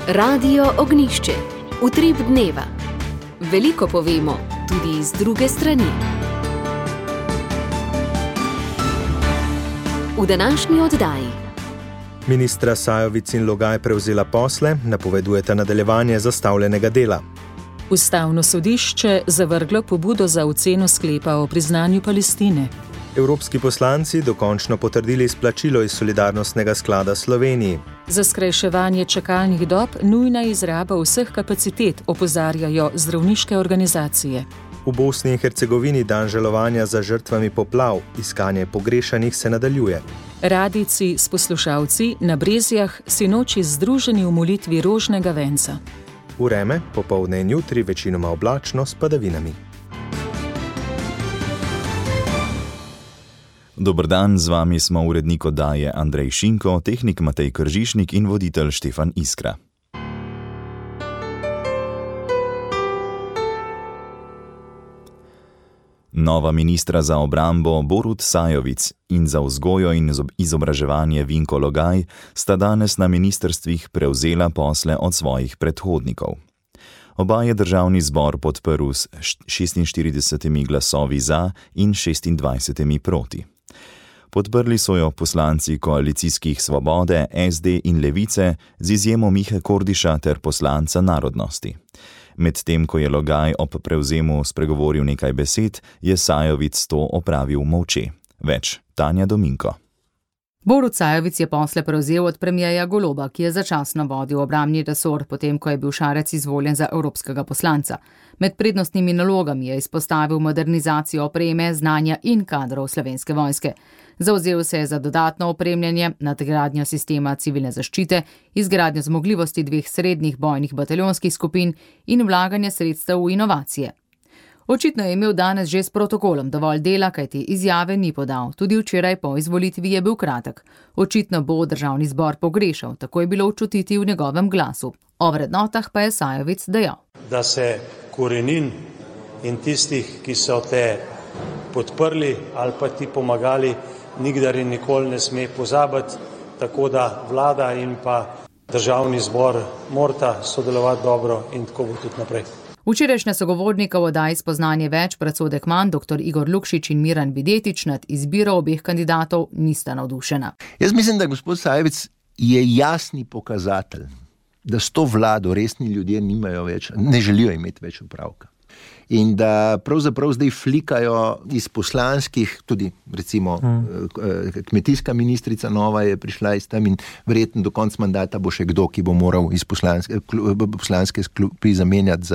Radio Ognišče, utrip dneva. Veliko povemo, tudi z druge strani. V današnji oddaji. Ministra Sajovic in Logaj prevzela posle, napovedujeta nadaljevanje zastavljenega dela. Ustavno sodišče zavrglo pobudo za oceno sklepa o priznanju Palestine. Evropski poslanci dokončno potrdili izplačilo iz Solidarnostnega sklada Sloveniji. Za skrajševanje čakalnih dob nujna izraba vseh kapacitet, opozarjajo zdravniške organizacije. V Bosni in Hercegovini dan žalovanja za žrtvami poplav, iskanje pogrešanih se nadaljuje. Radijci s poslušalci na Brezjah sinoči združeni v molitvi rožnega venca. Vreme, popoldne in jutri večinoma oblačno s padavinami. Dober dan, z vami smo urednik oddaje Andrej Šinko, tehnik Matej Kržišnik in voditelj Štefan Iskra. Nova ministra za obrambo Borut Sajovic in za vzgojo in izobraževanje Vinko Logaj sta danes na ministrstvih prevzela posle od svojih predhodnikov. Oba je državni zbor podprl s 46 glasovi za in 26 proti. Podprli so jo poslanci koalicijskih Svobode, SD in Levice z izjemo Mihe Kordiša ter poslanca Narodnosti. Medtem ko je Logaj ob prevzemu spregovoril nekaj besed, je Sajovic to opravil molče. Več Tanja Dominko. Borut Sajovic je posle prevzel od premierja Goloba, ki je začasno vodil obrambni resor, potem ko je bil Šarec izvoljen za evropskega poslanca. Med prednostnimi nalogami je izpostavil modernizacijo opreme, znanja in kadrov Slovenske vojske. Zavzel se je za dodatno opremljanje, nadgradnjo sistema civilne zaščite, izgradnjo zmogljivosti 2 srednjih bojnih bataljonskih skupin in vlaganje sredstev v inovacije. Očitno je imel danes že s protokolom dovolj dela, kajti izjave ni podal. Tudi včeraj po izvolitvi je bil kratek. Očitno bo državni zbor pogrešal, tako je bilo čutiti v njegovem glasu. O vrednotah pa je Sajovic dejal. Da se korenin in tistih, ki so te podprli ali pa ti pomagali, nikdar in nikoli ne sme pozabiti, tako da vlada in pa državni zbor morata sodelovati dobro in tako bo tudi naprej. Včerajšnja sogovornika v oddaji Spoznanje več, predsodek manj, dr. Igor Lukšič in Miran Videtič nad izbiro obeh kandidatov nista navdušena. Jaz mislim, da gospod Sajovic je jasni pokazatelj, da s to vlado resni ljudje ne želijo imeti več upravka. In da pravzaprav zdaj flikajo iz poslanskih, tudi recimo kmetijska ministrica nova je prišla iz tam in verjetno do konca mandata bo še kdo, ki bo moral iz poslanske klopi zamenjati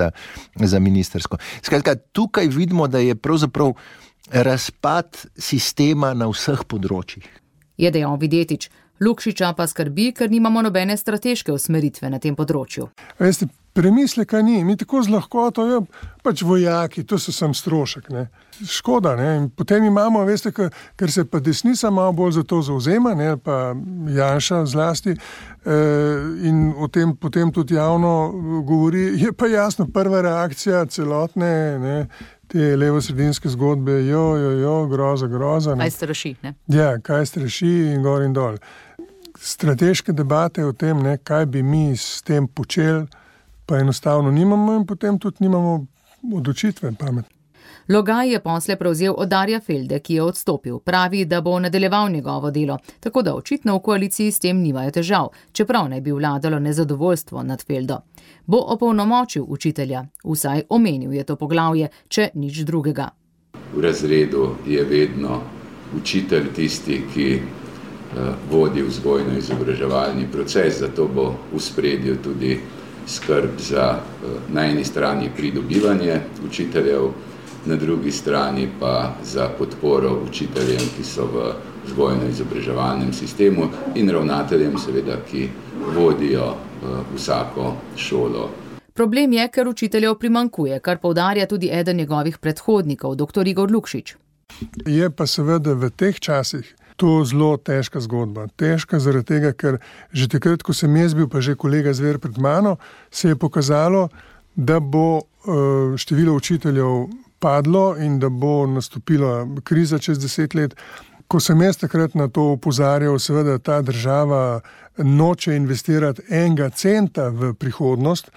za ministersko. Skratka, tukaj vidimo, da je pravzaprav razpad sistema na vseh področjih. Je dejal Videtič. Lukšiča pa skrbi, ker nimamo nobene strateške usmeritve na tem področju. Veste, premisleka ni. Mi tako z lahkoto, pač vojaki, to so sam strošek, ne. Škoda, ne. In potem imamo, veste, ker se pa desnica malo bolj za to zavzema, ne, pa Janša zlasti, in o tem potem tudi javno govori, je pa jasno prva reakcija celotne, ne, te levo-sredinske zgodbe, groza. Kaj straši, ne? Ja, kaj straši in gor in dol. Strateške debate o tem, ne, kaj bi mi s tem počeli, pa enostavno nimamo in potem tudi nimamo odločitve pametne. Logaj je posle prevzel od Darja Felde, ki je odstopil. Pravi, da bo nadaljeval njegovo delo, tako da očitno v koaliciji s tem nimajo težav, čeprav ne bi vladalo nezadovoljstvo nad Feldo. Bo opolnomočil učitelja, vsaj omenil je to poglavje, če nič drugega. V razredu je vedno učitelj tisti, ki vodi vzgojno-izobraževalni proces, zato bo v spredju tudi skrb za na eni strani pridobivanje učiteljev, na drugi strani pa za podporo učiteljem, ki so v vzgojno-izobraževalnem sistemu in ravnateljem seveda, ki vodijo vsako šolo. Problem je, ker učiteljev primanjkuje, kar poudarja tudi eden njegovih predhodnikov, dr. Igor Lukšič. Je pa seveda v teh časih to zelo težka zgodba. Težka zaradi tega, ker že takrat, ko sem jaz bil, pa že kolega Zver pred mano, se je pokazalo, da bo število učiteljev padlo in da bo nastopila kriza čez 10 let. Ko sem jaz takrat na to opozarjal, seveda ta država noče investirati enega centa v prihodnost.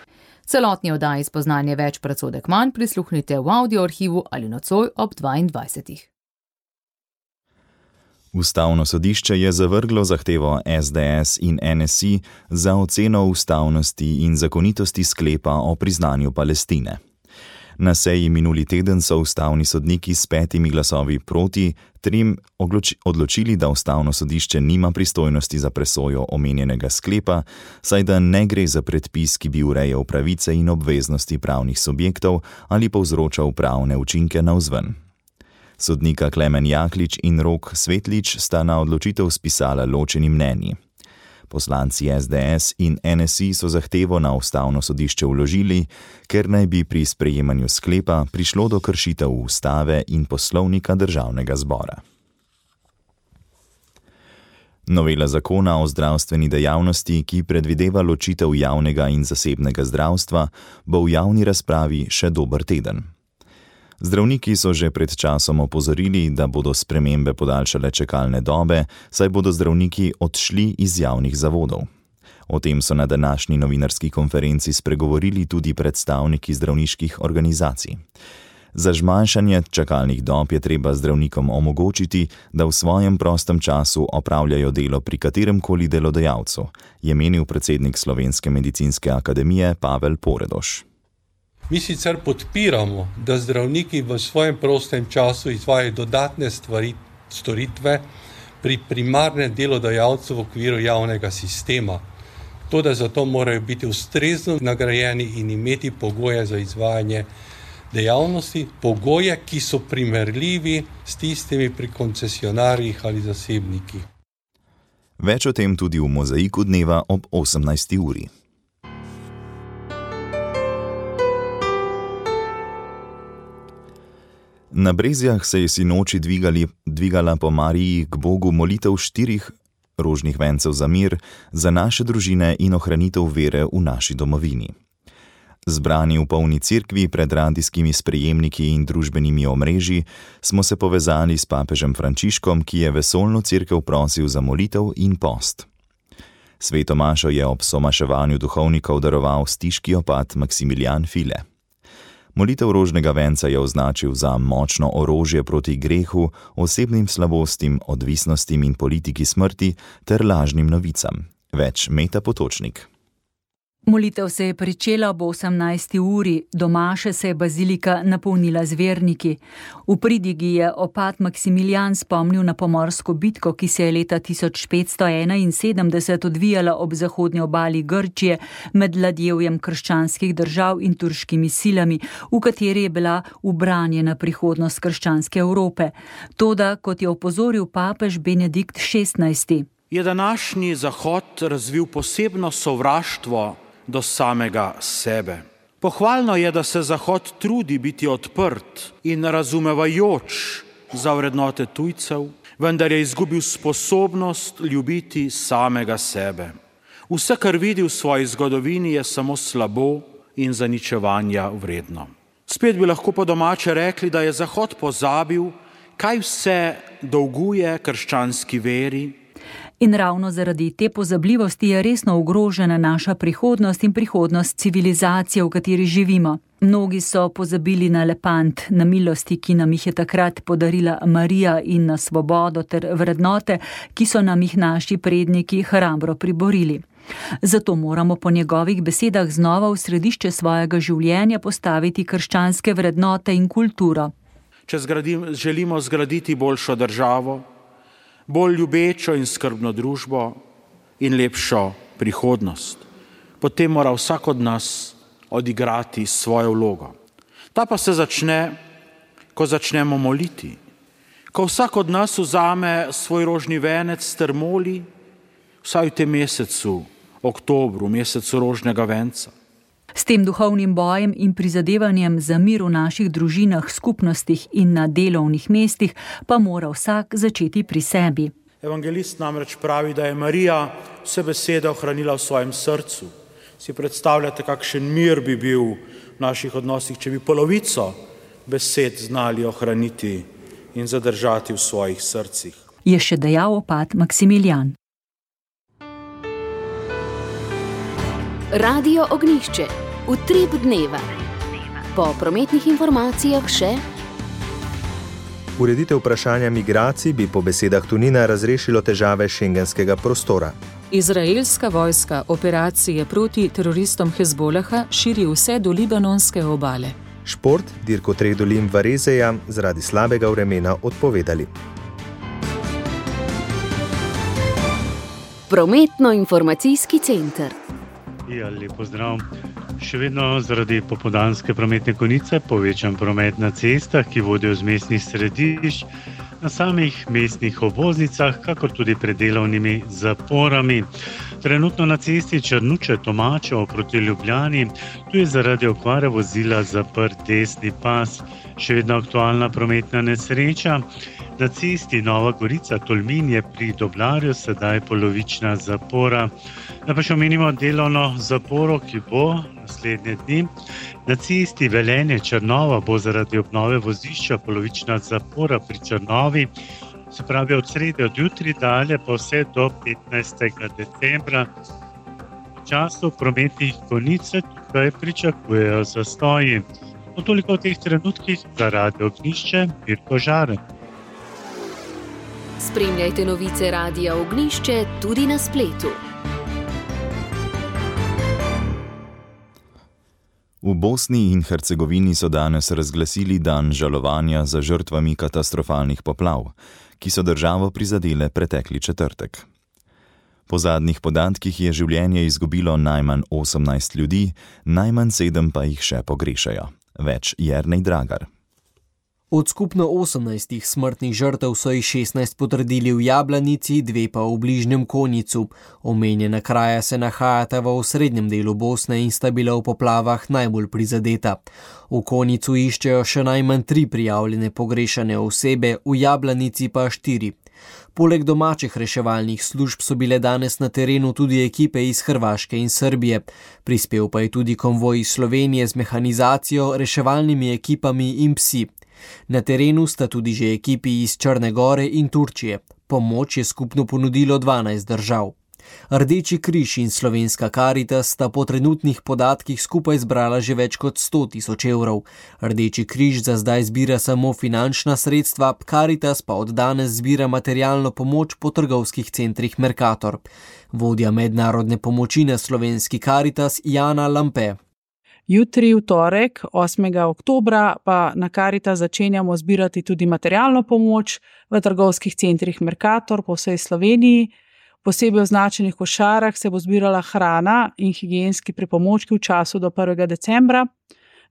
Celotni oddaji Spoznanje več, predsodek manj prisluhnite v audio arhivu ali nocoj ob 22. Ustavno sodišče je zavrglo zahtevo SDS in NSI za oceno ustavnosti in zakonitosti sklepa o priznanju Palestine. Na seji minuli teden so ustavni sodniki s 5 glasovi proti 3 odločili, da ustavno sodišče nima pristojnosti za presojo omenjenega sklepa, saj da ne gre za predpis, ki bi urejal pravice in obveznosti pravnih subjektov ali povzročal pravne učinke navzven. Sodnika Klemen Jaklič in Rok Svetlič sta na odločitev spisala ločeni mnenji. Poslanci SDS in NSI so zahtevo na ustavno sodišče vložili, ker naj bi pri sprejemanju sklepa prišlo do kršitev ustave in poslovnika državnega zbora. Novela zakona o zdravstveni dejavnosti, ki predvideva ločitev javnega in zasebnega zdravstva, bo v javni razpravi še dober teden. Zdravniki so že pred časom opozorili, da bodo spremembe podaljšale čakalne dobe, saj bodo zdravniki odšli iz javnih zavodov. O tem so na današnji novinarski konferenci spregovorili tudi predstavniki zdravniških organizacij. Za zmanjšanje čakalnih dob je treba zdravnikom omogočiti, da v svojem prostem času opravljajo delo pri kateremkoli delodajalcu, je menil predsednik Slovenske medicinske akademije Pavel Poredoš. Mi sicer podpiramo, da zdravniki v svojem prostem času izvajajo dodatne storitve pri primarnem delodajalcu v okviru javnega sistema. Toda zato morajo biti ustrezno nagrajeni in imeti pogoje za izvajanje dejavnosti, pogoje, ki so primerljivi s tistimi pri koncesionarjih ali zasebnikih. Več o tem tudi v Mozaiku dneva ob 18. uri. Na Brezjah se je sinoči dvigala po Mariji k Bogu molitev 4 rožnih vencev za mir, za naše družine in ohranitev vere v naši domovini. Zbrani v polni cerkvi pred radijskimi sprejemniki in družbenimi omrežji smo se povezali s papežem Frančiškom, ki je vesoljno cerkev prosil za molitev in post. Sveto mašo je ob somaševanju duhovnikov daroval stiški opat Maksimilijan File. Molitev rožnega venca je označil za močno orožje proti grehu, osebnim slabostim, odvisnostim in politiki smrti ter lažnim novicam. Več Meta Potočnik. Molitev se je pričela ob 18. uri, do maše se je bazilika napolnila z verniki. V pridigi je opat Maksimilijan spomnil na pomorsko bitko, ki se je leta 1571 odvijala ob zahodnji obali Grčije med ladjevjem krščanskih držav in turškimi silami, v kateri je bila ubranjena prihodnost krščanske Evrope. Toda, kot je opozoril papež Benedikt XVI, je današnji Zahod razvil posebno sovraštvo do samega sebe. Pohvalno je, da se Zahod trudi biti odprt in razumevajoč za vrednote tujcev, vendar je izgubil sposobnost ljubiti samega sebe. Vse, kar vidi v svoji zgodovini, je samo slabo in zaničevanja vredno. Spet bi lahko po domače rekli, da je Zahod pozabil, kaj vse dolguje krščanski veri. In ravno zaradi te pozabljivosti je resno ogrožena naša prihodnost in prihodnost civilizacije, v kateri živimo. Mnogi so pozabili na lepant, na milosti, ki nam jih je takrat podarila Marija, in na svobodo ter vrednote, ki so nam jih naši predniki hrabro priborili. Zato moramo po njegovih besedah znova v središče svojega življenja postaviti krščanske vrednote in kulturo. Če želimo zgraditi boljšo državo, bolj ljubečo in skrbno družbo in lepšo prihodnost, potem mora vsak od nas odigrati svojo vlogo. Ta pa se začne, ko začnemo moliti, ko vsak od nas vzame svoj rožni venec ter moli, vsaj v tem mesecu, oktobru, mesecu rožnega venca. S tem duhovnim bojem in prizadevanjem za mir v naših družinah, skupnostih in na delovnih mestih pa mora vsak začeti pri sebi. Evangelist namreč pravi, da je Marija vse besede ohranila v svojem srcu. Si predstavljate, kakšen mir bi bil v naših odnosih, če bi polovico besed znali ohraniti in zadržati v svojih srcih. je še dejal opat Maksimilijan. Radio Ognjišče. Utrip dneva. Po prometnih informacijah še: Ureditev vprašanja migracij bi po besedah Tonina razrešilo težave šengenskega prostora. Izraelska vojska operacije proti teroristom Hezbolaha širi vse do libanonske obale. Šport, dirko 3 dolin Varezeja zaradi slabega vremena odpovedali. Prometno-informacijski center. Ja, lep pozdrav. Še vedno zaradi popoldanske prometne konice povečan promet na cestah, ki vodijo z mestnih središč, na samih mestnih obvoznicah, kakor tudi pred delovnimi zaporami. Trenutno na cesti Črnuče-Tomačev proti Ljubljani, tu je zaradi okvare vozila zaprt desni pas. Še vedno aktualna prometna nesreča. Na cesti Nova Gorica-Tolmin je pri Doblarju sedaj polovična zapora. Da pa še omenimo delovno zaporo, ki bo naslednje dni. Na cesti Velenje-Črnova bo zaradi obnove vozišča polovična zapora pri Črnovi. Se pravi od srede od jutri dalje pa vse do 15. decembra. V času prometnih konic se tukaj pričakujejo zastoji. Toliko v teh trenutkih za Radio Ognjišče, Mirko Žaren. Spremljajte novice Radia Ognjišče tudi na spletu. V Bosni in Hercegovini so danes razglasili dan žalovanja za žrtvami katastrofalnih poplav, ki so državo prizadele pretekli četrtek. Po zadnjih podatkih je življenje izgubilo najmanj 18 ljudi, najmanj 7 pa jih še pogrešajo. Več Jernej Dragar. Od skupno 18 smrtnih žrtev so jih 16 potrdili v Jablanici, 2 pa v bližnjem Konjicu. Omenjena kraja se nahajata v osrednjem delu Bosne in sta bila v poplavah najbolj prizadeta. V Konjicu iščejo še najmanj 3 prijavljene pogrešane osebe, v Jablanici pa 4. Poleg domačih reševalnih služb so bile danes na terenu tudi ekipe iz Hrvaške in Srbije. Prispel pa je tudi konvoj iz Slovenije z mehanizacijo, reševalnimi ekipami in psi. Na terenu sta tudi že ekipi iz Črne Gore in Turčije. Pomoč je skupno ponudilo 12 držav. Rdeči križ in Slovenska Karitas sta po trenutnih podatkih skupaj zbrala že več kot 100 000 evrov. Rdeči križ za zdaj zbira samo finančna sredstva, Karitas pa od danes zbira materialno pomoč po trgovskih centrih Mercator. Vodja mednarodne pomoči na Slovenski Karitas Jana Lampe. Jutri, v torek, 8. oktobra, pa na Karitas začenjamo zbirati tudi materialno pomoč v trgovskih centrih Mercator po vsej Sloveniji. Posebej označenih košarah se bo zbirala hrana in higienski pripomočki v času do 1. decembra.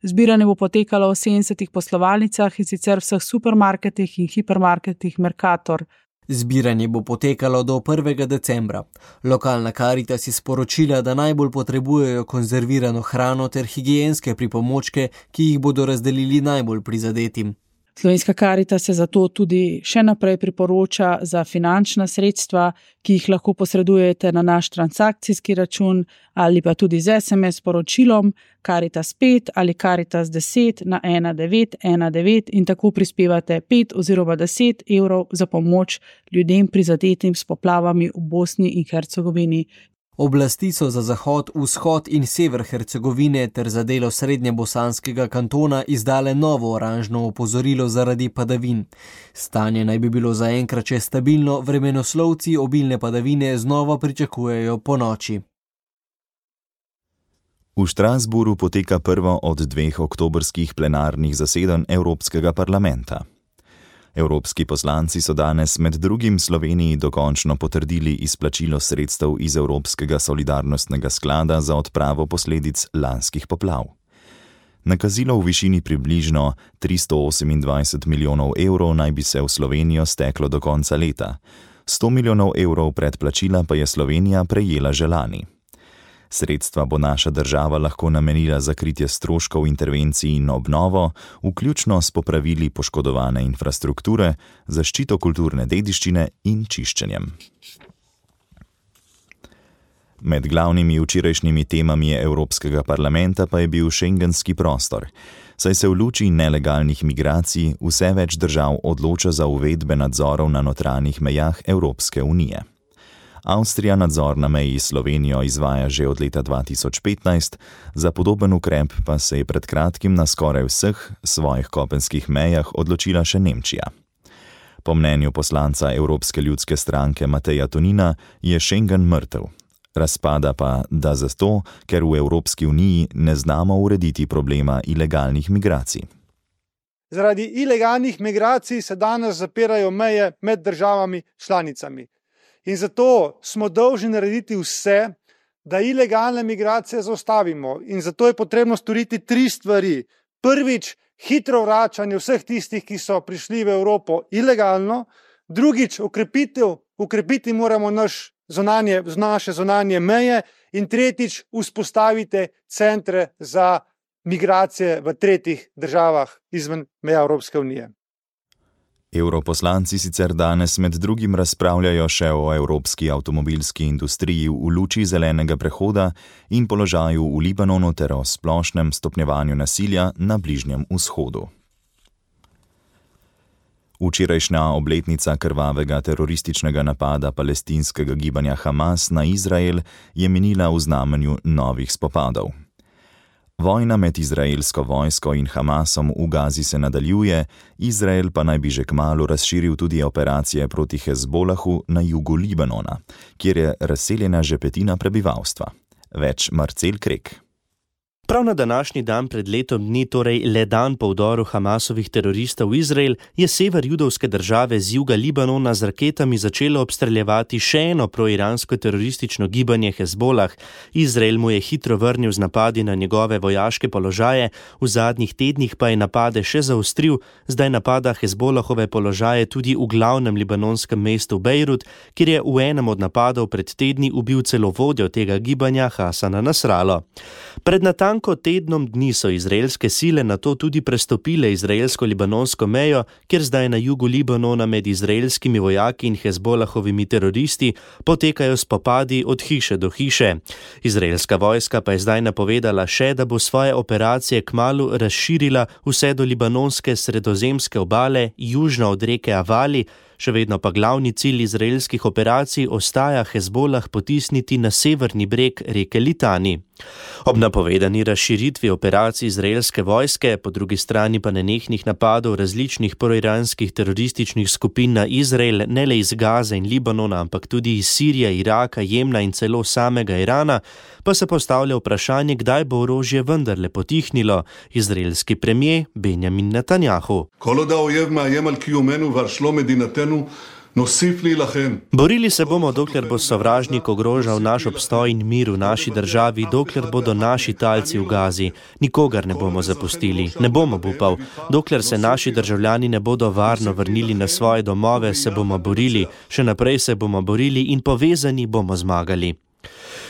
Zbiranje bo potekalo v 70 poslovalnicah in sicer vseh supermarketih in hipermarketih Mercator. Zbiranje bo potekalo do 1. decembra. Lokalna Karitas je sporočila, da najbolj potrebujejo konzervirano hrano ter higienske pripomočke, ki jih bodo razdelili najbolj prizadetim. Slovenska Karitas se zato tudi še naprej priporoča za finančna sredstva, ki jih lahko posredujete na naš transakcijski račun ali pa tudi z SMS sporočilom Karitas 5 ali Karitas 10 na 1919 in tako prispevate 5 oziroma 10 evrov za pomoč ljudem prizadetim s poplavami v Bosni in Hercegovini. Oblasti so za zahod, vzhod in sever Hercegovine ter za delo srednjebosanskega kantona izdale novo oranžno opozorilo zaradi padavin. Stanje naj bi bilo zaenkrat še stabilno, vremenoslovci obilne padavine znova pričakujejo ponoči. V Strasbourgu poteka prvo od 2 oktobrskih plenarnih zasedanj Evropskega parlamenta. Evropski poslanci so danes med drugim Sloveniji dokončno potrdili izplačilo sredstev iz Evropskega solidarnostnega sklada za odpravo posledic lanskih poplav. Nakazilo v višini približno 328 milijonov evrov naj bi se v Slovenijo steklo do konca leta. 100 milijonov evrov predplačila pa je Slovenija prejela že lani. Sredstva bo naša država lahko namenila za kritje stroškov intervencij in obnovo, vključno s popravili poškodovane infrastrukture, zaščito kulturne dediščine in čiščenjem. Med glavnimi včerajšnjimi temami Evropskega parlamenta pa je bil šengenski prostor, saj se v luči nelegalnih migracij vse več držav odloča za uvedbe nadzorov na notranjih mejah Evropske unije. Avstrija nadzor na meji s Slovenijo izvaja že od leta 2015, za podoben ukrep pa se je pred kratkim na skoraj vseh svojih kopenskih mejah odločila še Nemčija. Po mnenju poslanca Evropske ljudske stranke Mateja Tonina je Schengen mrtev. Razpada pa, da zato, ker v Evropski uniji ne znamo urediti problema ilegalnih migracij. Zaradi ilegalnih migracij se danes zapirajo meje med državami članicami. In zato smo dolžni narediti vse, da ilegalne migracije zaustavimo. In zato je potrebno storiti 3 stvari. Prvič, hitro vračanje vseh tistih, ki so prišli v Evropo ilegalno. Drugič, ukrepiti moramo naše zunanje meje. In tretjič, vzpostavite centre za migracije v tretjih državah izven meja Evropske unije. Evroposlanci sicer danes med drugim razpravljajo še o evropski avtomobilski industriji v luči zelenega prehoda in položaju v Libanonu ter o splošnem stopnjevanju nasilja na Bližnjem vzhodu. Včerajšnja obletnica krvavega terorističnega napada palestinskega gibanja Hamas na Izrael je minila v znamenju novih spopadov. Vojna med izraelsko vojsko in Hamasom v Gazi se nadaljuje, Izrael pa naj bi že kmalu razširil tudi operacije proti Hezbolahu na jugu Libanona, kjer je razseljena že petina prebivalstva. Več Marcel Krek. Prav na današnji dan pred letom dni, torej le dan po vdoru Hamasovih teroristov v Izrael, je sever judovske države z juga Libanona z raketami začelo obstreljevati še eno proiransko teroristično gibanje Hezbolah. Izrael mu je hitro vrnil z napadi na njegove vojaške položaje, v zadnjih tednih pa je napade še zaostril, zdaj napada Hezbolahove položaje tudi v glavnem libanonskem mestu Bejrut, kjer je v enem od napadov pred tedni ubil celo vodjo tega gibanja Hasana Nasralo. Pred natanko tednom dni so izraelske sile nato tudi prestopile izraelsko-libanonsko mejo, kjer zdaj na jugu Libanona med izraelskimi vojaki in Hezbolahovimi teroristi potekajo spopadi od hiše do hiše. Izraelska vojska pa je zdaj napovedala še, da bo svoje operacije kmalu razširila vse do libanonske sredozemske obale, južno od reke Avali, še vedno pa glavni cilj izraelskih operacij ostaja Hezbolah potisniti na severni breg reke Litani. Ob napovedani razširitvi operacij izraelske vojske, po drugi strani pa nenehnih napadov različnih proiranskih terorističnih skupin na Izrael, ne le iz Gaze in Libanona, ampak tudi iz Sirije, Iraka, Jemna in celo samega Irana, pa se postavlja vprašanje, kdaj bo orožje vendarle potihnilo. Izraelski premier Benjamin Netanjahu. Borili se bomo, dokler bo sovražnik ogrožal naš obstoj in mir v naši državi, dokler bodo naši talci v Gazi. Nikogar ne bomo zapustili, ne bomo upal. Dokler se naši državljani ne bodo varno vrnili na svoje domove, se bomo borili, še naprej se bomo borili in povezani bomo zmagali.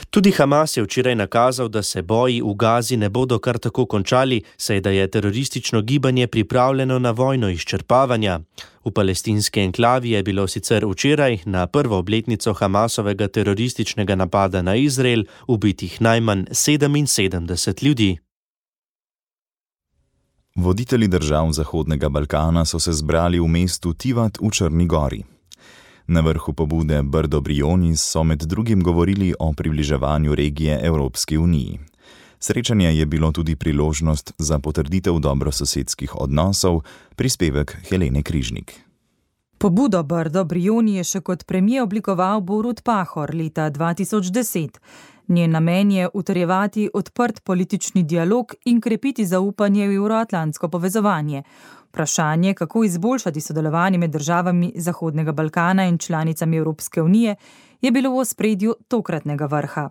Tudi Hamas je včeraj nakazal, da se boji v Gazi ne bodo kar tako končali, saj da je teroristično gibanje pripravljeno na vojno izčrpavanja. V palestinski enklavi je bilo sicer včeraj, na prvo obletnico Hamasovega terorističnega napada na Izrael, ubitih najmanj 77 ljudi. Voditelji držav Zahodnega Balkana so se zbrali v mestu Tivat v Črni Gori. Na vrhu pobude Brdo Brioni so med drugim govorili o približevanju regije Evropski uniji. Srečanje je bilo tudi priložnost za potrditev dobrososedskih odnosov, prispevek Helene Križnik. Pobudo Brdo Brioni je še kot premier oblikoval Borut Pahor leta 2010. Njen namen je utrjevati odprt politični dialog in krepiti zaupanje v evroatlantsko povezovanje. Vprašanje, kako izboljšati sodelovanje med državami Zahodnega Balkana in članicami Evropske unije, je bilo v ospredju tokratnega vrha.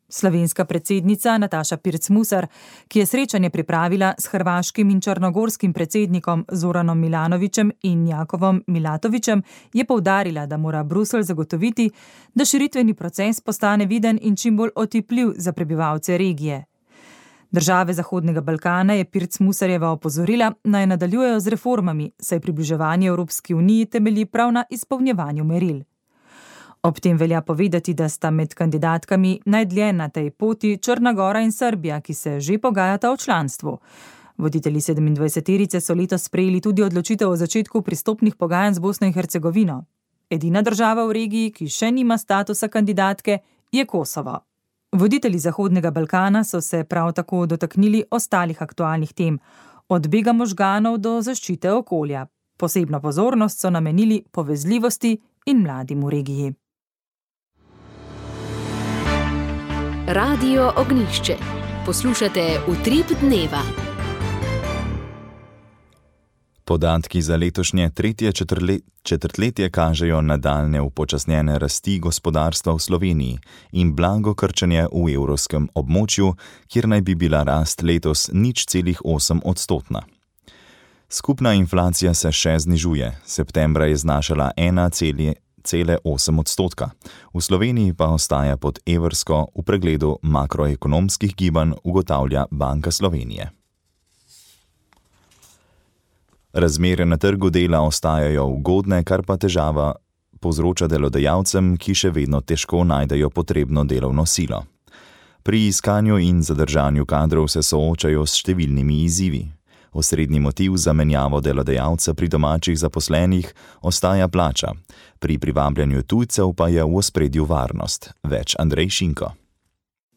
Slovenska predsednica Nataša Pirc-Musar, ki je srečanje pripravila s hrvaškim in črnogorskim predsednikom Zoranom Milanovićem in Jakovom Milatovićem, je poudarila, da mora Bruselj zagotoviti, da širitveni proces postane viden in čim bolj otipljiv za prebivalce regije. Države Zahodnega Balkana je Pirc-Musarjeva opozorila, naj nadaljujejo z reformami, saj približevanje Evropski uniji temelji prav na izpolnjevanju meril. Ob tem velja povedati, da sta med kandidatkami najdlje na tej poti Črna Gora in Srbija, ki se že pogajata o članstvu. Voditelji 27-terice so letos sprejeli tudi odločitev o začetku pristopnih pogajanj z Bosno in Hercegovino. Edina država v regiji, ki še nima statusa kandidatke, je Kosovo. Voditelji Zahodnega Balkana so se prav tako dotaknili ostalih aktualnih tem, od bega možganov do zaščite okolja. Posebno pozornost so namenili povezljivosti in mladim v regiji. Radio Ognjišče. Poslušate Utrip dneva. Podatki za letošnje tretje četrtletje kažejo nadaljne upočasnjene rasti gospodarstva v Sloveniji in blago krčenje v evrskem območju, kjer naj bi bila rast letos 0,8%. Skupna inflacija se še znižuje, septembra je znašala 1,8%. V Sloveniji pa ostaja pod evrsko, v pregledu makroekonomskih gibanj ugotavlja Banka Slovenije. Razmere na trgu dela ostajajo ugodne, kar pa težava povzroča delodajalcem, ki še vedno težko najdejo potrebno delovno silo. Pri iskanju in zadržanju kadrov se soočajo s številnimi izzivi. Osrednji motiv za menjavo delodajalca pri domačih zaposlenih ostaja plača, pri privabljanju tujcev pa je v ospredju varnost. Več Andrej Šinko.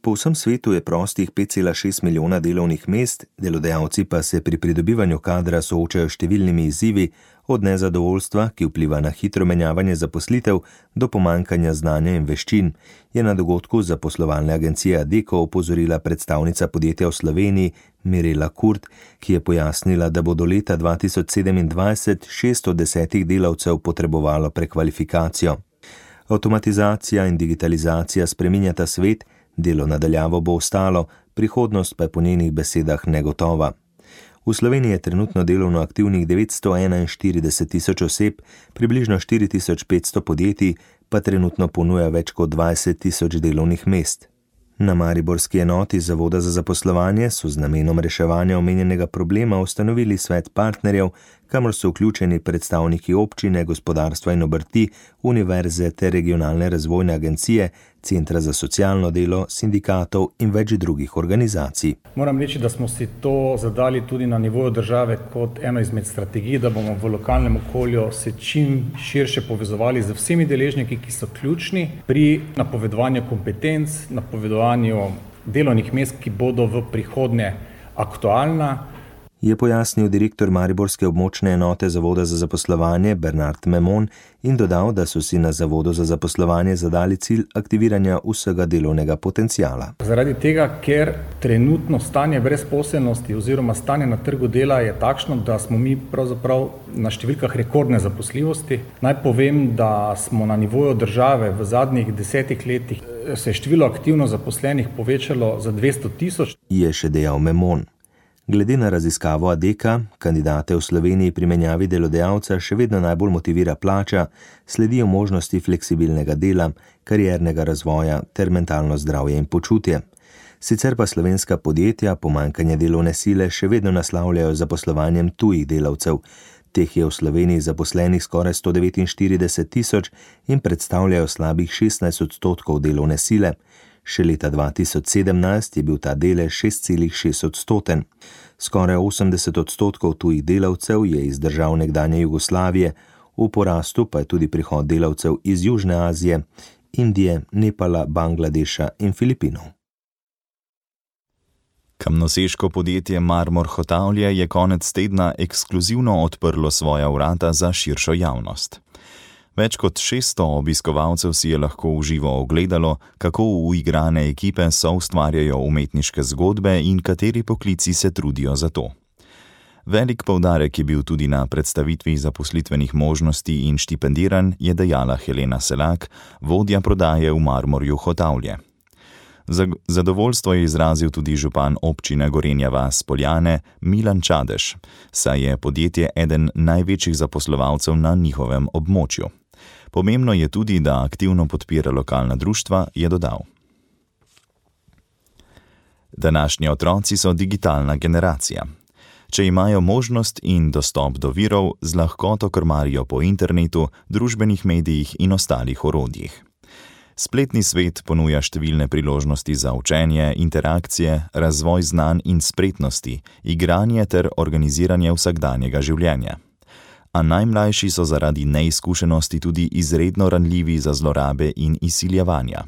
Po vsem svetu je prostih 5,6 milijona delovnih mest, delodajalci pa se pri pridobivanju kadra soočajo številnimi izzivi, od nezadovoljstva, ki vpliva na hitro menjavanje zaposlitev, do pomanjkanja znanja in veščin, je na dogodku zaposlovalne agencije Adecco opozorila predstavnica podjetja v Sloveniji Mirela Kurt, ki je pojasnila, da bo do leta 2027 6 od 10 delavcev potrebovalo prekvalifikacijo. Avtomatizacija in digitalizacija spreminjata svet, delo nadaljavo bo ostalo, prihodnost pa je po njenih besedah negotova. V Sloveniji je trenutno delovno aktivnih 941 tisoč oseb, približno 4500 podjetij pa trenutno ponuja več kot 20 tisoč delovnih mest. Na mariborski enoti Zavoda za zaposlovanje so z namenom reševanja omenjenega problema ustanovili svet partnerjev, kamor so vključeni predstavniki občine, gospodarstva in obrti, univerze ter regionalne razvojne agencije, centra za socialno delo, sindikatov in več drugih organizacij. Moram reči, da smo si to zadali tudi na nivoju države kot eno izmed strategij, da bomo v lokalnem okolju se čim širše povezovali z vsemi deležniki, ki so ključni pri napovedovanju kompetenc, napovedovanju delovnih mest, ki bodo v prihodnje aktualna. Je pojasnil direktor mariborske območne enote Zavoda za zaposlovanje Bernard Memon in dodal, da so si na Zavodu za zaposlovanje zadali cilj aktiviranja vsega delovnega potenciala. Zaradi tega, ker trenutno stanje brezposelnosti oziroma stanje na trgu dela je takšno, da smo mi pravzaprav na številkah rekordne zaposljivosti. Naj povem, da smo na nivoju države v zadnjih 10 letih se število aktivno zaposlenih povečalo za 200 tisoč. Je še dejal Memon. Glede na raziskavo Adecca, kandidate v Sloveniji pri menjavi delodajalca še vedno najbolj motivira plača, sledijo možnosti fleksibilnega dela, kariernega razvoja ter mentalno zdravje in počutje. Sicer pa slovenska podjetja pomanjkanje delovne sile še vedno naslavljajo z zaposlovanjem tujih delavcev. Teh je v Sloveniji zaposlenih skoraj 149 tisoč in predstavljajo slabih 16% delovne sile. Še leta 2017 je bil ta delež 6,6%. Skoraj 80% tujih delavcev je iz držav nekdanje Jugoslavije, v porastu pa je tudi prihod delavcev iz Južne Azije, Indije, Nepala, Bangladeša in Filipinov. Kamnoseško podjetje Marmor Hotavlje je konec tedna ekskluzivno odprlo svoja vrata za širšo javnost. Več kot 600 obiskovalcev si je lahko v živo ogledalo, kako uigrane ekipe soustvarjajo umetniške zgodbe in kateri poklici se trudijo za to. Velik poudarek je bil tudi na predstavitvi zaposlitvenih možnosti in štipendiranj, je dejala Helena Selak, vodja prodaje v Marmorju Hotavlje. Zadovoljstvo je izrazil tudi župan občine Gorenja vas Poljane Milan Čadež, saj je podjetje eden največjih zaposlovalcev na njihovem območju. Pomembno je tudi, da aktivno podpira lokalna društva, je dodal. Današnji otroci so digitalna generacija. Če imajo možnost in dostop do virov, z lahkoto krmarijo po internetu, družbenih medijih in ostalih orodjih. Spletni svet ponuja številne priložnosti za učenje, interakcije, razvoj znanj in spretnosti, igranje ter organiziranje vsakdanjega življenja. A najmlajši so zaradi neizkušenosti tudi izredno ranljivi za zlorabe in izsiljevanja.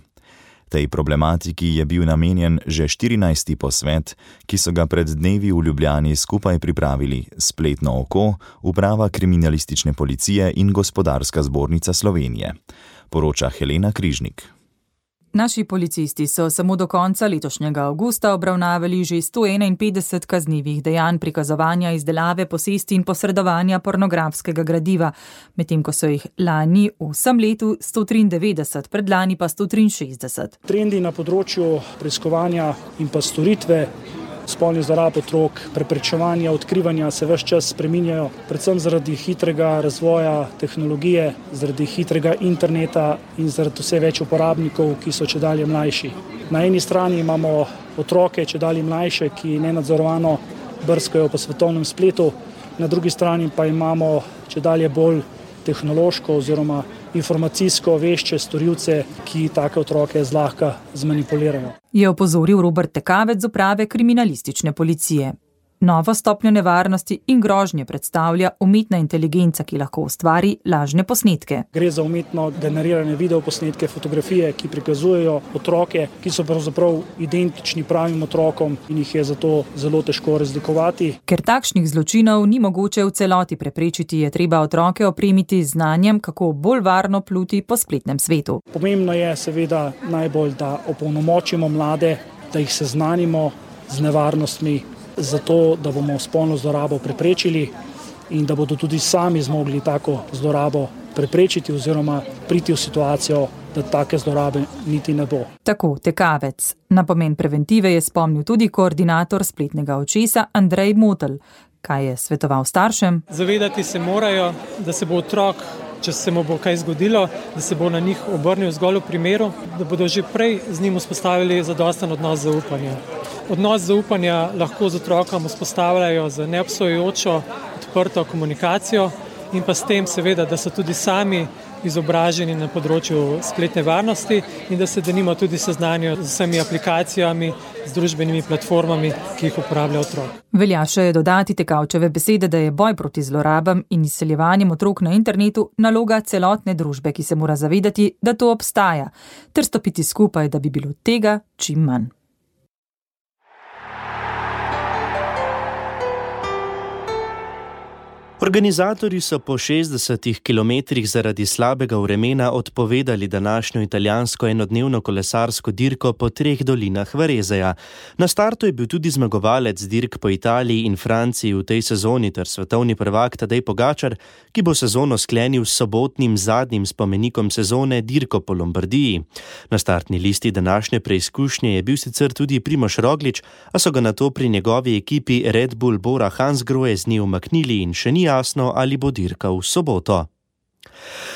Tej problematiki je bil namenjen že 14. posvet, ki so ga pred dnevi v Ljubljani skupaj pripravili Spletno oko, Uprava kriminalistične policije in Gospodarska zbornica Slovenije. Poroča Helena Križnik. Naši policisti so samo do konca letošnjega avgusta obravnavali že 151 kaznivih dejanj prikazovanja, izdelave, posesti in posredovanja pornografskega gradiva, medtem ko so jih lani v vsem letu 193, predlani pa 163. Trendi na področju preiskovanja in pa storitve spolnih zlorab otrok, preprečevanja, odkrivanja se ves čas spreminjajo, predvsem zaradi hitrega razvoja tehnologije, zaradi hitrega interneta in zaradi vse več uporabnikov, ki so čedalje mlajši. Na eni strani imamo otroke čedalje mlajše, ki nenadzorovano brskajo po svetovnem spletu, na drugi strani pa imamo čedalje bolj tehnološko oziroma informacijsko vešče storilce, ki take otroke zlahka zmanipulirajo. Je opozoril Robert Tekavec z Uprave kriminalistične policije. Novo stopnjo nevarnosti in grožnje predstavlja umetna inteligenca, ki lahko ustvari lažne posnetke. Gre za umetno generirane videoposnetke, fotografije, ki prikazujejo otroke, ki so pravzaprav identični pravim otrokom in jih je zato zelo težko razlikovati. Ker takšnih zločinov ni mogoče v celoti preprečiti, je treba otroke opremiti z znanjem, kako bolj varno pluti po spletnem svetu. Pomembno je seveda najbolj, da opolnomočimo mlade, da jih seznanimo z nevarnostmi, zato, da bomo spolno zlorabo preprečili in da bodo tudi sami zmogli tako zlorabo preprečiti oziroma priti v situacijo, da take zlorabe niti ne bo. Tako Tekavec. Na pomen preventive je spomnil tudi koordinator spletnega očesa Andrej Motelj. Kaj je svetoval staršem? Zavedati se morajo, da se bo otrok, če se mu bo kaj zgodilo, da se bo na njih obrnil zgolj v primeru, da bodo že prej z njim vzpostavili zadosten odnos zaupanja. Odnos zaupanja lahko z otrokom vzpostavljajo z neobsojujočo, odprto komunikacijo in pa s tem seveda, da so tudi sami izobraženi na področju spletne varnosti in da se denimo tudi seznanijo z vsemi aplikacijami, z družbenimi platformami, ki jih uporablja otrok. Velja še dodati Tekavčeve besede, da je boj proti zlorabam in izseljevanjem otrok na internetu naloga celotne družbe, ki se mora zavedati, da to obstaja, ter stopiti skupaj, da bi bilo tega čim manj. Organizatorji so po 60 kilometrih zaradi slabega vremena odpovedali današnjo italijansko enodnevno kolesarsko dirko po 3 dolinah Varezeja. Na startu je bil tudi zmagovalec dirk po Italiji in Franciji v tej sezoni ter svetovni prvak Tadej Pogačar, ki bo sezono sklenil s sobotnim zadnjim spomenikom sezone dirko po Lombardiji. Na startni listi današnje preizkušnje je bil sicer tudi Primož Roglič, a so ga nato pri njegovi ekipi Red Bull Bora Hansgrohe z nje umaknili in še ni jasno, ali bo dirka v soboto.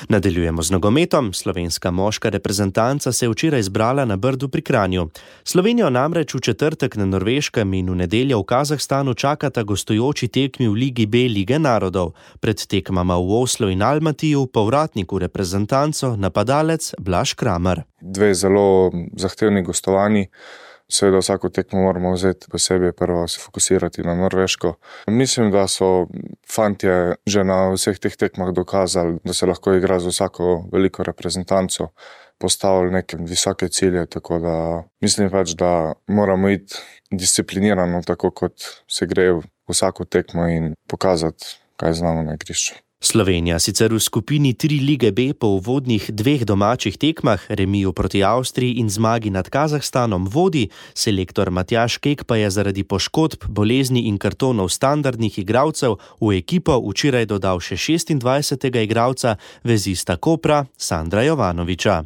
Nadaljujemo z nogometom. Slovenska moška reprezentanca se je včeraj zbrala na Brdu pri Kranju. Slovenijo namreč v četrtek na Norveškem in v nedeljo v Kazahstanu čakata gostujoči tekmi v Ligi B Lige narodov. Pred tekmama v Oslu in Almatiju povratnik v reprezentanco napadalec Blaž Kramer. 2 zelo zahtevni gostovanji. Seveda vsako tekmo moramo vzeti posebej, prvo se fokusirati na Norveško. Mislim, da so fantje že na vseh teh tekmah dokazali, da se lahko igra z vsako veliko reprezentanco, postavili neke visoke cilje, tako da mislim pač, da moramo iti disciplinirano, tako kot se gre v vsako tekmo in pokazati, kaj znamo na igrišču. Slovenija sicer v skupini 3 Lige B po uvodnih 2 domačih tekmah, remiju proti Avstriji in zmagi nad Kazahstanom vodi, selektor Matjaž Kek pa je zaradi poškodb, bolezni in kartonov standardnih igralcev v ekipo včeraj dodal še 26. igralca, vezista Kopra Sandra Jovanoviča.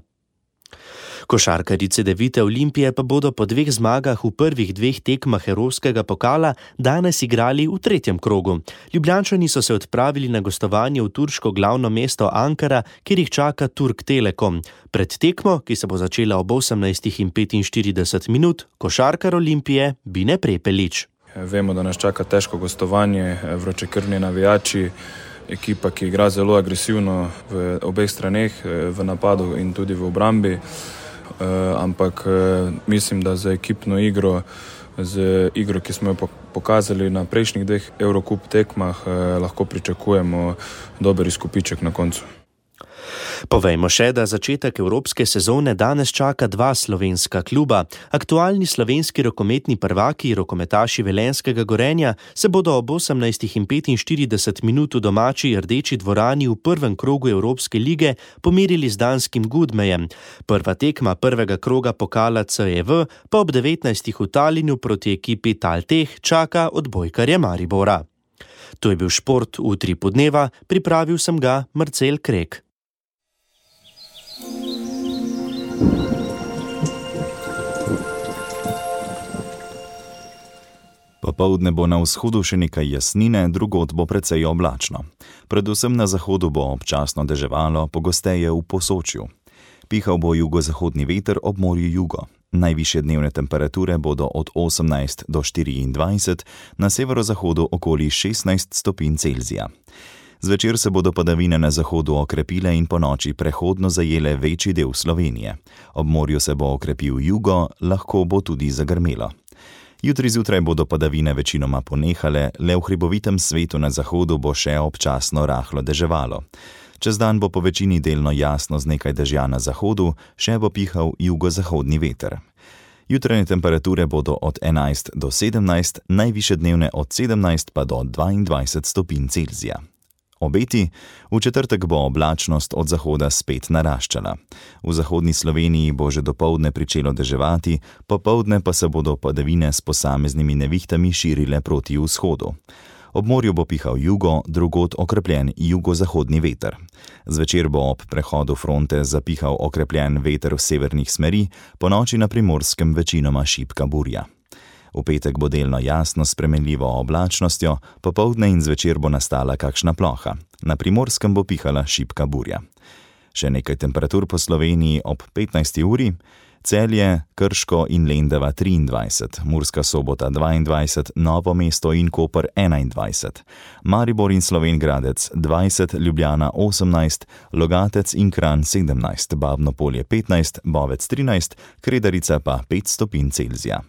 Košarkarji Cedevite Olimpije pa bodo po 2 zmagah v prvih 2 tekmah evropskega pokala danes igrali v 3. krogu. Ljubljančani so se odpravili na gostovanje v turško glavno mesto Ankara, kjer jih čaka Turk Telekom. Pred tekmo, ki se bo začela ob 18:45, košarkar Olimpije Bine Prepelič. Vemo, da nas čaka težko gostovanje, vročekrvni navijači. ekipa, ki igra zelo agresivno v obeh straneh, v napadu in tudi v obrambi, ampak mislim, da za ekipno igro, z igro, ki smo jo pokazali na prejšnjih 2 Eurocup tekmah, lahko pričakujemo dober izkupiček na koncu. Povejmo še, da začetek evropske sezone danes čaka 2 slovenska kluba. Aktualni slovenski rokometni prvaki, rokometaši Velenjskega Gorenja, se bodo ob 18:45 v domači Rdeči dvorani v prvem krogu Evropske lige pomerili z danskim Gudmejem. Prva tekma prvega kroga pokala CEV pa ob 19. v Talinu proti ekipi Talteh čaka odbojkarje Maribora. To je bil šport v Utripu dneva, pripravil sem ga Marcel Krek. Popoldne bo na vzhodu še nekaj jasnine, drugod bo precej oblačno. Predvsem na zahodu bo občasno deževalo, pogosteje v Posočju. Pihal bo jugozahodni veter, ob morju jugo. Najvišje dnevne temperature bodo od 18 do 24, na severozahodu okoli 16 stopinj Celzija. Zvečer se bodo padavine na zahodu okrepile in ponoči prehodno zajele večji del Slovenije. Ob morju se bo okrepil jugo, lahko bo tudi zagrmelo. Jutri zjutraj bodo padavine večinoma ponehale, le v hribovitem svetu na zahodu bo še občasno rahlo deževalo. Čez dan bo po večini delno jasno z nekaj dežja na zahodu, še bo pihal jugozahodni veter. Jutranje temperature bodo od 11 do 17, najvišje dnevne od 17 pa do 22 stopinj Celzija. Obeti, v četrtek bo oblačnost od zahoda spet naraščala. V zahodni Sloveniji bo že dopoldne pričelo deževati, popoldne pa se bodo padavine s posameznimi nevihtami širile proti vzhodu. Ob morju bo pihal jugo, drugod okrepljen jugozahodni veter. Zvečer bo ob prehodu fronte zapihal okrepljen veter v severnih smeri, ponoči na Primorskem večinoma šibka burja. V petek bo delno jasno s spremenljivo oblačnostjo, popoldne in zvečer bo nastala kakšna ploha. Na Primorskem bo pihala šibka burja. Še nekaj temperatur po Sloveniji ob 15. uri. Celje, Krško in Lendava 23, Murska Sobota 22, Novo mesto in Koper 21, Maribor in Slovenj Gradec 20, Ljubljana 18, Logatec in Kranj 17, Babno Polje 15, Bovec 13, Kredarica pa 5 stopinj Celzija.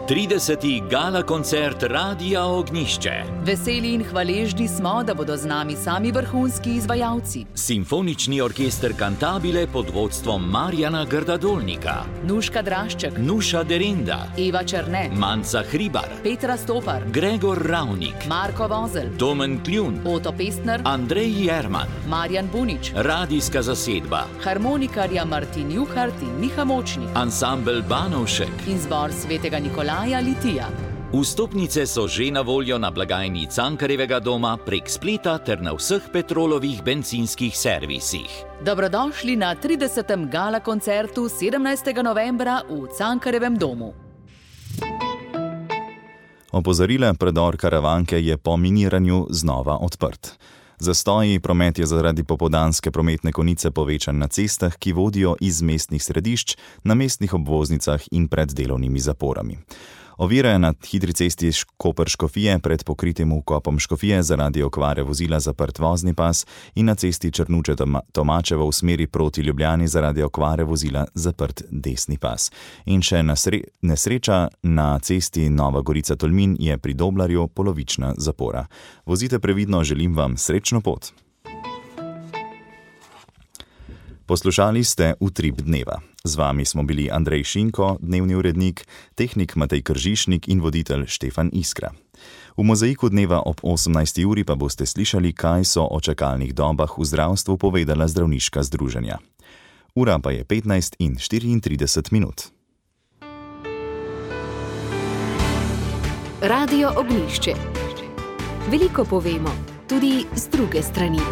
Trideseti gala koncert Radia Ognjišče. Veseli in hvaležni smo, da bodo z nami sami vrhunski izvajalci. Simfonični orkester Cantabile pod vodstvom Marjana Grdadolnika, Nuška Drašček, Nuša Derinda, Eva Černe, Manca Hribar, Petra Stopar, Gregor Ravnik, Marko Vozel, Domen Kljun, Oto Pestner, Andrej Jerman, Marjan Bunič, radijska zasedba, harmonikarja Martin Juhart in Miha Močnik, ansambel Banovšek in zbor Svetega Nikolaja Litija. Vstopnice so že na voljo na blagajni Cankarjevega doma prek spleta ter na vseh Petrolovih bencinskih servisih. Dobrodošli na 30. gala koncertu 17. novembra v Cankarjevem domu. Opozorila, predor Karavanke je po miniranju znova odprt. Zastoji, promet je zaradi popoldanske prometne konice povečan na cestah, ki vodijo iz mestnih središč, na mestnih obvoznicah in pred delovnimi zaporami. Ovire na hitri cesti Koper-Škofije pred pokritim vkopom Škofije zaradi okvare vozila zaprt vozni pas in na cesti Črnuče-Tomačevo v smeri proti Ljubljani zaradi okvare vozila zaprt desni pas. In še nesreča na cesti Nova Gorica-Tolmin je pri Doblarju polovična zapora. Vozite previdno, želim vam srečno pot. Poslušali ste Utrip dneva. Z vami smo bili Andrej Šinko, dnevni urednik, tehnik Matej Kržišnik in voditelj Štefan Iskra. V mozaiku dneva ob 18. uri pa boste slišali, kaj so o čakalnih dobah v zdravstvu povedala zdravniška združenja. Ura pa je 15:34 minut. Radio Ognjišče. Veliko povemo, tudi z druge strani.